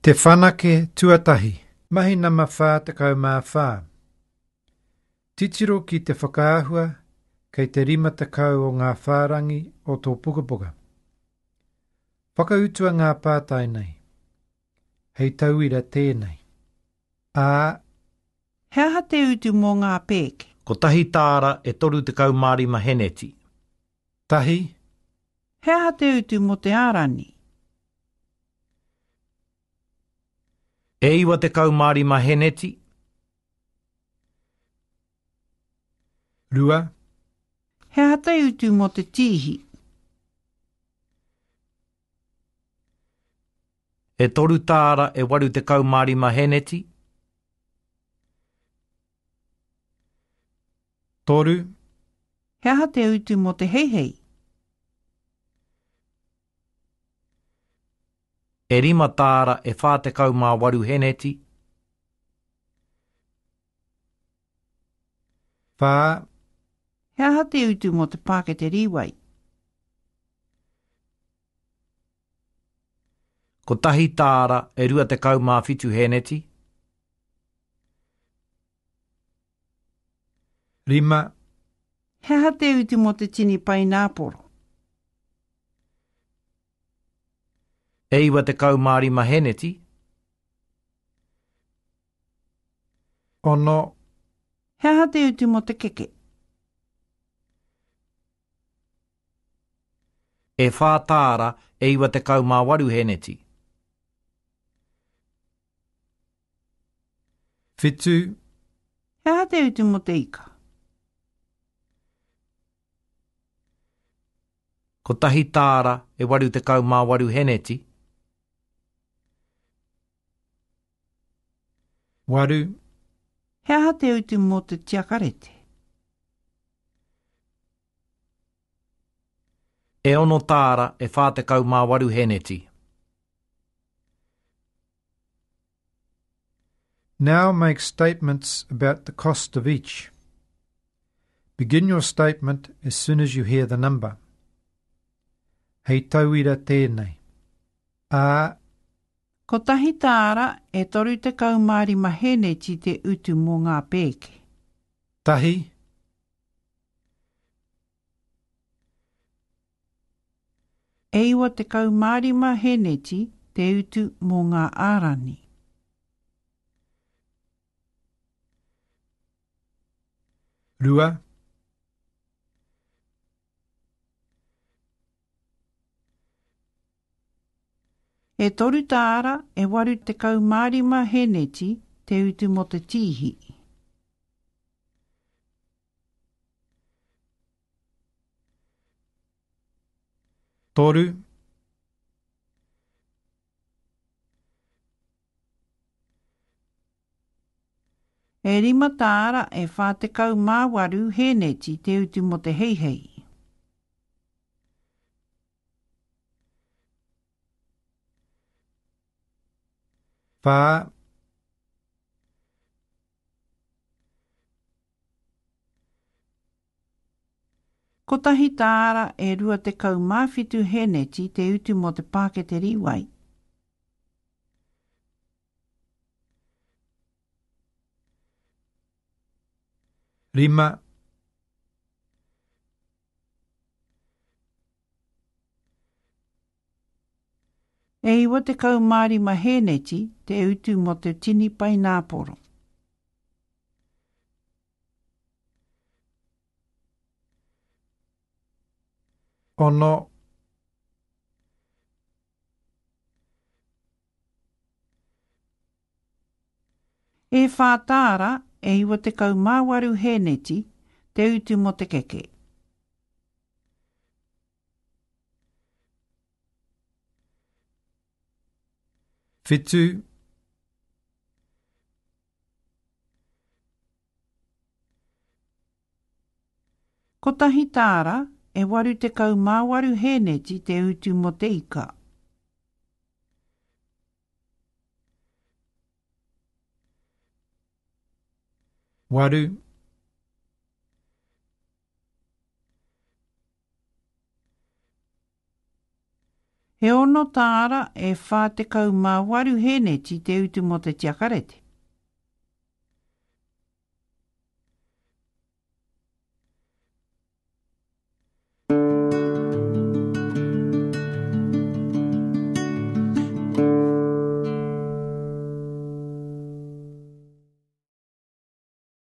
Te Whanake Tuatahi. Mahi nama 44. Titiro ki te whakaahua kei te 50 o ngā whārangi o tō pukapuka. Whakautua ngā pātai nei. Hei tauira tēnei. A. He aha te utu mō ngā pēke? Kotahi tāra e 35 heneti. Tahi. He aha te utu mō te ārani? E 95 heneti. Rua. He aha te utu mō te tīhi? E toru tāra e 85 heneti. Toru. He aha te utu mō te heihei? E rima tāra e 48 heneti. Whā. He aha te utu mō te pākete rīwai? Kotahi tāra e 27 heneti. Rima. He aha te utu mō te tini paināporo? E 95 heneti. Ono. He aha te utu mō te keke? E whā tāra e 98 heneti. Whitu. He aha te utu mō te ika? Kotahi tāra e 88 heneti. Waru. He aha te utu mō te tiakarete? E ono tāra e 48 heneti. Now make statements about the cost of each. Begin your statement as soon as you hear the number. Hei tauira tēnei. A. Kotahi tāra e 35 hēneti te utu mō ngā pēke. Tahi. E 95 hēneti te utu mō ngā ārani. Rua. E toru tāra e 85 hēneti te utu mō te tīhi. Toru. E rima tāra e 48 hēneti te utu mō te heihei. Whā. Kotahi tāra e 27 hēneti te utu mō te pākete rīwai. Rima. E 95 hēneti te utu mō te tini paināporo. Ono. E whā tāra e 98 hēneti te utu mō te keke. Whitu. Kotahi tāra e 88 hēneti te utu mō te ika. Waru. E He ono tāra e 48 hēneti te utu mō te tiakarete.